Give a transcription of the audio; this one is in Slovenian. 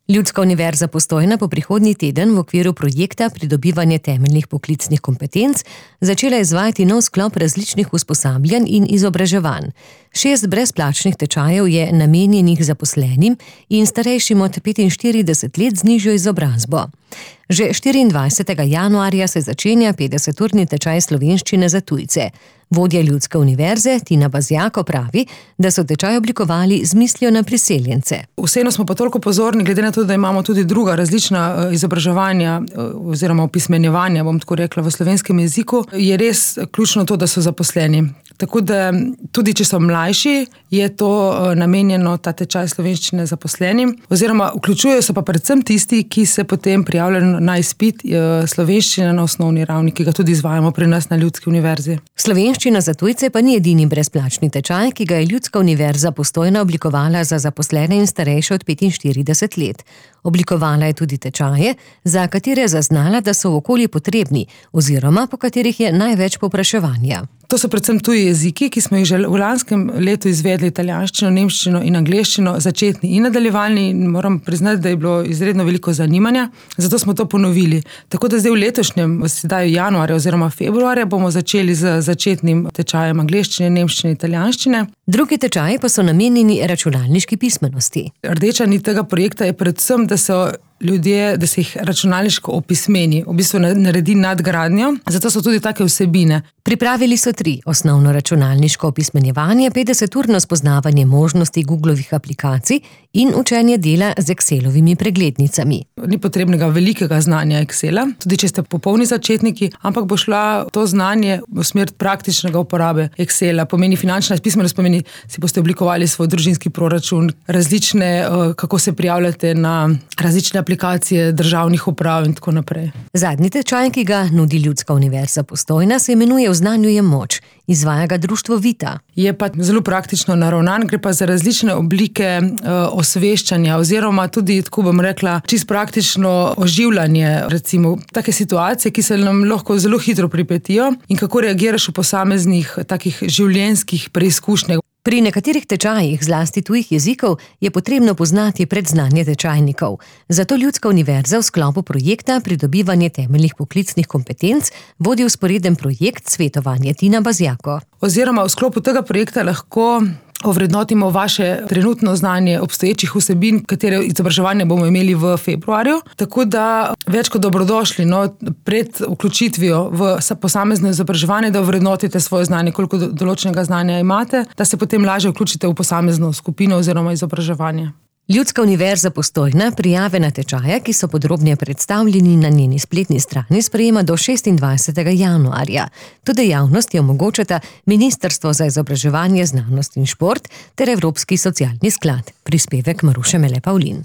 Ljudska univerza Postojna bo prihodnji teden v okviru projekta Pridobivanje temeljnih poklicnih kompetenc začela izvajati nov sklop različnih usposabljanj in izobraževanj. 6 brezplačnih tečajev je namenjenih zaposlenim in starejšim od 45 let z nižjo izobrazbo. Že 24. januarja se začenja 50-urni tečaj slovenščine za tujce. Vodja Ljudske univerze Tina Bazjako pravi, da so tečaj oblikovali z mislijo na priseljence. Vseeno smo pa toliko pozorni, glede na to, da imamo tudi druga različna izobraževanja oziroma opismenjevanja, bom tako rekla, v slovenskem jeziku, je res ključno to, da so zaposleni. Tako da tudi, če so mlajši, je to namenjeno ta tečaj slovenščine zaposlenim, oziroma vključujejo se pa predvsem tisti, ki se potem prijavljajo na izpit slovenščine na osnovni ravni, ki ga tudi izvajamo pri nas na Ljudski univerzi. Slovenščina za tujce pa ni edini brezplačni tečaj, ki ga je Ljudska univerza Postojna oblikovala za zaposlene in starejše od 45 let. Oblikovala je tudi tečaje, za katere je zaznala, da so v okolju potrebni oziroma po katerih je največ povpraševanja. To so predvsem tuji jeziki, ki smo jih že v lanskem letu izvedli italijanščino, nemščino in angleščino, začetni in nadaljevalni, in moram priznati, da je bilo izredno veliko zanimanja, zato smo to ponovili. Tako da zdaj v letošnjem, sedaj januarja oziroma februarja, bomo začeli z začetnim tečajem angleščine, nemščine, italijanščine. Drugi tečaji pa so namenjeni računalniški pismenosti. Rdeča nit tega projekta je predvsem, da so ljudje, da se jih računalniško opismeni, v bistvu naredi nadgradnjo, zato so tudi take vsebine. Pripravili so 3: osnovno računalniško opismenjevanje, 50-urno spoznavanje možnosti Googlovih aplikacij in učenje dela z Excelovimi preglednicami. Ni potrebnega velikega znanja Excela, tudi če ste popolni začetniki, ampak bo šla to znanje v smer praktičnega uporabe Excela. Pomeni finančna pismenost, pomeni, si boste oblikovali svoj družinski proračun, različne, kako se prijavljate na različne aplikacije državnih uprav in tako naprej. Zadnji tečaj, ki ga nudi Ljudska univerza Postojna, se imenuje V znanju je moč. Izvaja ga društvo Vita. Je pa zelo praktično naravnan, gre pa za različne oblike osveščanja oziroma tudi, tako bom rekla, čisto praktično oživljanje, recimo take situacije, ki se nam lahko zelo hitro pripetijo in kako reagiraš v posameznih takih življenjskih preizkušnjah. Pri nekaterih tečajih, zlasti tujih jezikov, je potrebno poznati predznanje tečajnikov. Zato Ljudska univerza v sklopu projekta Pridobivanje temeljnih poklicnih kompetenc vodi vzporeden projekt Svetovanje Tina Bazjako. Oziroma v sklopu tega projekta lahko ovrednotimo vaše trenutno znanje obstoječih vsebin, katere izobraževanje bomo imeli v februarju. Tako da več kot dobrodošli pred vključitvijo v posamezno izobraževanje, da ovrednotite svoje znanje, koliko določenega znanja imate, da se potem lažje vključite v posamezno skupino oziroma izobraževanje. Ljudska univerza Postojna prijave na tečaje, ki so podrobneje predstavljeni na njeni spletni strani, sprejema do 26. januarja. To dejavnosti omogočata Ministrstvo za izobraževanje, znanost in šport ter Evropski socialni sklad. Prispevek Maruše Mele Pavlin.